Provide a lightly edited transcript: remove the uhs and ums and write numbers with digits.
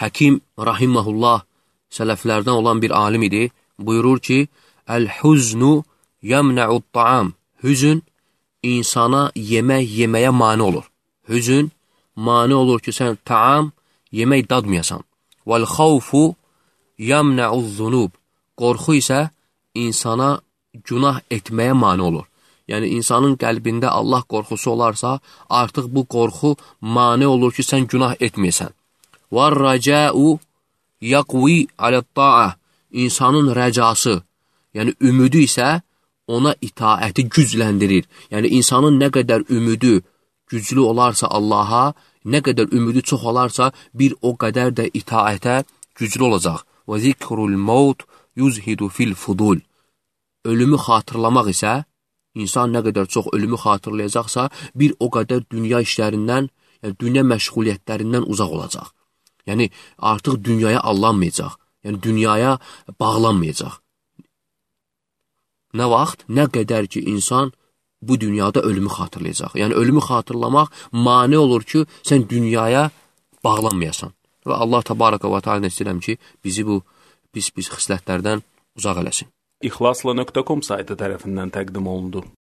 Həkim rahiməhullah sələflərdən olan bir alim idi. Buyurur ki, Əl-huznu yəmnə'ud-ta'am. Hüzün insana yeməyə mane olur. Hüzün mane olur ki, sən taam, yemək dadmayasan. Vəl-xavfu yəmnə'uz-zunub. Qorxu isə insana günah etməyə mane olur. Yəni, insanın qəlbində Allah qorxusu olarsa, artıq bu qorxu mane olur ki, sən günah etməyəsən. Vər-rəcəu yaqvi alə-ta'a. İnsanın rəcası, yəni ümidi isə ona itaəti gücləndirir. Yəni, insanın nə qədər ümidi güclü olarsa Allaha, nə qədər ümidi çox olarsa, bir o qədər də itaətə güclü olacaq. Və zikrul maut yuzhidu fil fudul. Ölümü xatırlamaq isə, insan nə qədər çox ölümü xatırlayacaqsa, bir o qədər dünya işlərindən, yəni dünya məşğuliyyətlərindən uzaq olacaq. Yəni, artıq dünyaya allanmayacaq. Yəni, dünyaya bağlanmayacaq. Nə vaxt, nə qədər ki, insan bu dünyada ölümü xatırlayacaq. Yəni, ölümü xatırlamaq mane olur ki, sən dünyaya bağlanmayasan. Və Allah təbaraka və teala istəyirəm ki, bizi bu pis xislətlərdən uzaq eləsin. İxlasla.com saytı tərəfindən təqdim olundu.